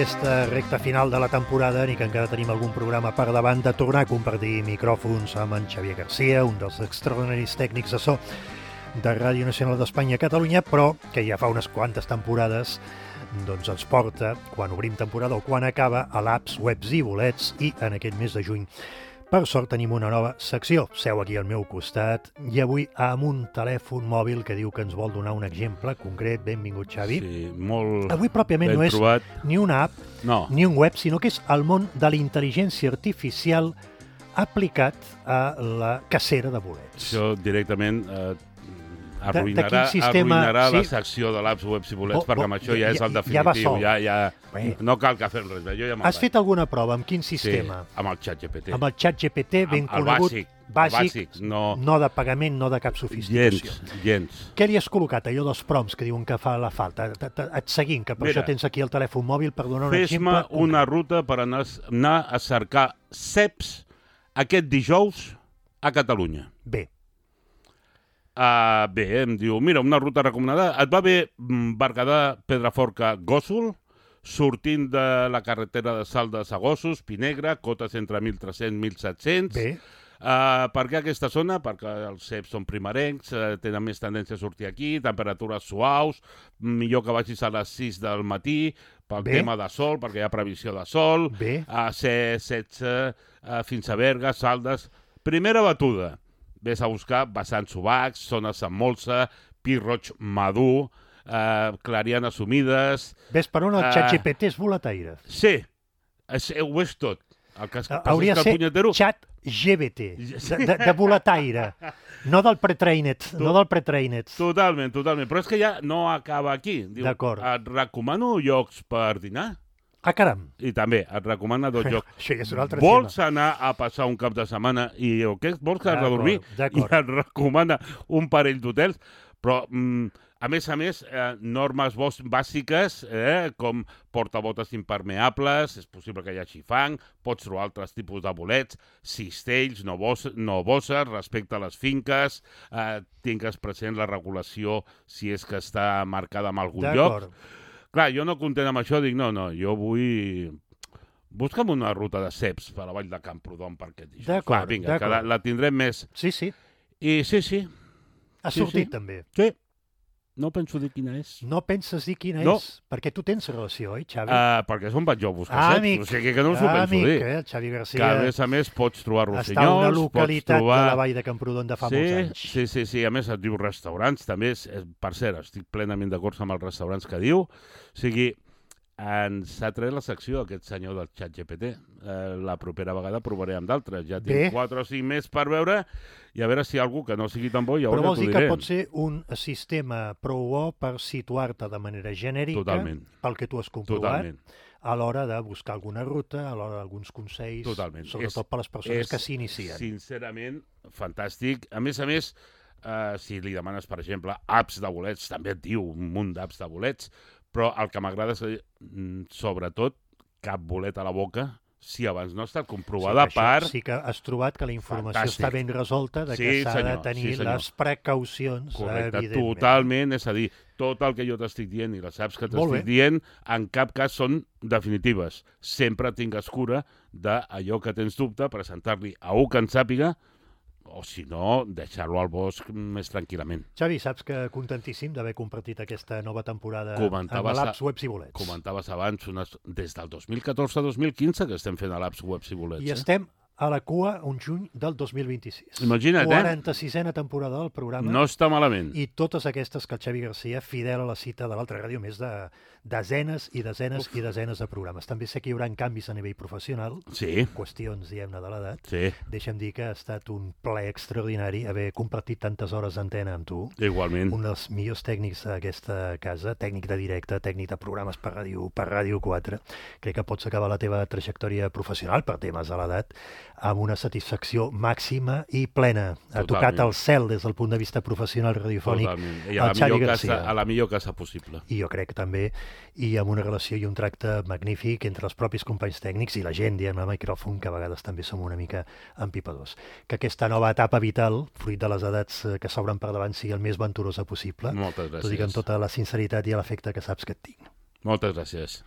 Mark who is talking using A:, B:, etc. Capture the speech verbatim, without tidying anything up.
A: aquesta recta final de la temporada, ni que encara tenim algun programa per davant, de tornar a compartir micròfons amb en Xavier Garcia, un dels extraordinaris tècnics de so de Ràdio Nacional d'Espanya a Catalunya, però que ja fa unes quantes temporades doncs ens porta, quan obrim temporada o quan acaba, a l'Apps, Webs i Bolets, i en aquest mes de juny per sort tenim una nova secció. Seu aquí al meu costat i avui amb un telèfon mòbil que diu que ens vol donar un exemple concret. Benvingut, Xavi.
B: Sí, molt
A: avui pròpiament no és
B: trobat.
A: Ni una app,
B: no.
A: ni un web, sinó que és el món de la intel·ligència artificial aplicat a la cacera de bolets.
B: Això directament eh, arruïnarà,
A: de, de sistema...
B: arruïnarà
A: sí.
B: la secció de l'Apps, Webs i Bolets,
A: bo,
B: perquè amb
A: bo,
B: això ja, ja és el definitiu.
A: Ja va sol.
B: Ja, ja, no cal que fem res. Jo ja
A: Has fet alguna prova? Amb quin sistema?
B: Sí, amb el ChatGPT.
A: Amb el ChatGPT, ben
B: amb,
A: conegut.
B: El bàsic.
A: Bàsic,
B: el bàsic no...
A: no de pagament, no de cap sofisticació.
B: Gens, gens.
A: Què li has col·locat, allò dels prompts que diuen que fa la falta? Et seguint, que per
B: Mira,
A: això tens aquí el telèfon mòbil per donar un exemple.
B: Fes-me una ruta per anar, anar a cercar ceps aquest dijous a Catalunya.
A: Bé.
B: Uh, bé, em diu, mira, una ruta recomanada. Et va bé Berguedà, Pedraforca, Gósol, sortint de la carretera de Saldes a Gossos, Pinegre, cotes entre mil tres-cents i mil set-cents.
A: Bé.
B: Uh, per què aquesta zona? Perquè els ceps són primerencs, uh, tenen més tendència a sortir aquí, temperatures suaus, millor que vagis a les sis del matí, pel
A: Bé.
B: tema de sol, perquè hi ha previsió de sol,
A: Bé.
B: a uh, C setze uh, fins a Berga, Saldes. Primera batuda. Ves a buscar vessants subacs, zones amb molsa, pi roig madur, eh, clarianes humides...
A: Ves per on el ChatGPT és boletaire?
B: Sí, és, ho és tot. El que es,
A: hauria de ser
B: punyetero...
A: ChatGPT, de, de, de boletaire, no del pre-trained, no del pre-trained.
B: Totalment, totalment. Però és que ja no acaba aquí.
A: D'acord.
B: Et recomano llocs per dinar.
A: Ah, caram.
B: I també et recomana dos llocs.
A: Això ja és un altre
B: vols
A: tema.
B: anar a passar un cap de setmana i o què? Vols quedar a dormir? I et recomana un parell d'hotels. Però, mm, a més a més, eh, normes bàsiques, eh, com portabotes impermeables, és possible que hi hagi fang, pots trobar altres tipus de bolets, cistells, no, bos, no bosses, respecte a les finques, eh, tingues present la regulació si és que està marcada en algun lloc. Clar, jo no content amb això, dic, no, no, jo vull... Busca'm una ruta de ceps per a la vall de Camprodon per aquest dijous.
A: D'acord,
B: vinga, que la, la tindrem més.
A: Sí, sí.
B: I sí, sí.
A: Ha
B: sí,
A: sortit,
B: sí.
A: també.
B: Sí. No penso dir quina és.
A: No penses dir quina
B: no.
A: és? Perquè tu tens relació, oi, Xavi?
B: Uh, perquè és on vaig jo a buscar
A: ah,
B: ceps.
A: Amic.
B: O sigui que no us ho penso
A: amic,
B: dir.
A: Eh? El Xavi Garcia...
B: Que a més a més pots trobar rossinyols,
A: està una localitat
B: pots trobar...
A: de la vall de Camprodon de fa
B: sí,
A: molts anys.
B: Sí, sí, sí. A més et diu restaurants, també. És, per cert, estic plenament d'acord amb els restaurants que diu. O sigui, ens ha tret la secció aquest senyor del ChatGPT. Eh, la propera vegada provaré amb d'altres. Ja tinc quatre o cinc més per veure i a veure si hi ha algú que no sigui tan bo i llavors
A: Però vols
B: ja
A: dir
B: t'ho diré.
A: que pot ser un sistema prou bo per situar-te de manera genèrica,
B: Totalment.
A: pel que tu has comprovat,
B: Totalment.
A: a l'hora de buscar alguna ruta, a l'hora d'alguns consells,
B: Totalment.
A: sobretot
B: és,
A: per les persones
B: és,
A: que s'inicien.
B: Sincerament, fantàstic. A més a més, eh, si li demanes, per exemple, apps de bolets, també et diu un munt d'apps de bolets, però el que m'agrada és, sobretot, cap bolet a la boca, si abans no ha estat comprovada
A: sí,
B: per...
A: Sí que has trobat que la informació
B: Fantàstic.
A: està ben resolta, de que
B: sí,
A: s'ha
B: senyor,
A: de tenir
B: sí,
A: les precaucions,
B: correcte,
A: evidentment.
B: Totalment, és a dir, tot el que jo t'estic dient i les apps que t'estic dient, en cap cas són definitives. Sempre tingues cura d'allò que tens dubte, presentar-li a un que en sàpiga, o si no, deixar-lo al bosc més tranquil·lament.
A: Xavi, saps que contentíssim d'haver compartit aquesta nova temporada
B: comentaves
A: amb l'Apps, Webs i Bolets.
B: Comentaves abans, unes, des del dos mil catorze a dos mil quinze que estem fent a l'Apps, Webs i Bolets.
A: I
B: eh?
A: estem a la cua un juny del dos mil vint-i-sis.
B: Imagina't, eh?
A: quaranta-sisena temporada del programa.
B: No està malament.
A: I totes aquestes que el Xavi Garcia, fidel a la cita de l'altra ràdio, més de desenes i desenes Uf. i desenes de programes. També sé que hi haurà canvis a nivell professional,
B: sí.
A: qüestions, diguem-ne, de l'edat.
B: Sí.
A: Deixa'm dir que ha estat un plaer extraordinari haver compartit tantes hores d'antena amb tu.
B: Igualment.
A: Un dels millors tècnics d'aquesta casa, tècnic de directe, tècnic de programes per ràdio, per Ràdio quatre. Crec que pots acabar la teva trajectòria professional per temes de l'edat amb una satisfacció màxima i plena. Ha
B: Totalment.
A: tocat el cel des del punt de vista professional radiofònic.
B: Totalment. I a la, millor casa, a la millor casa possible.
A: I jo crec que també, i amb una relació i un tracte magnífic entre els propis companys tècnics i la gent, diem, al micròfon, que a vegades també som una mica empipadors. Que aquesta nova etapa vital, fruit de les edats que s'obren per davant, sigui el més venturosa possible.
B: Moltes gràcies.
A: T'ho dic amb tota la sinceritat i l'afecte que saps que et tinc.
B: Moltes gràcies.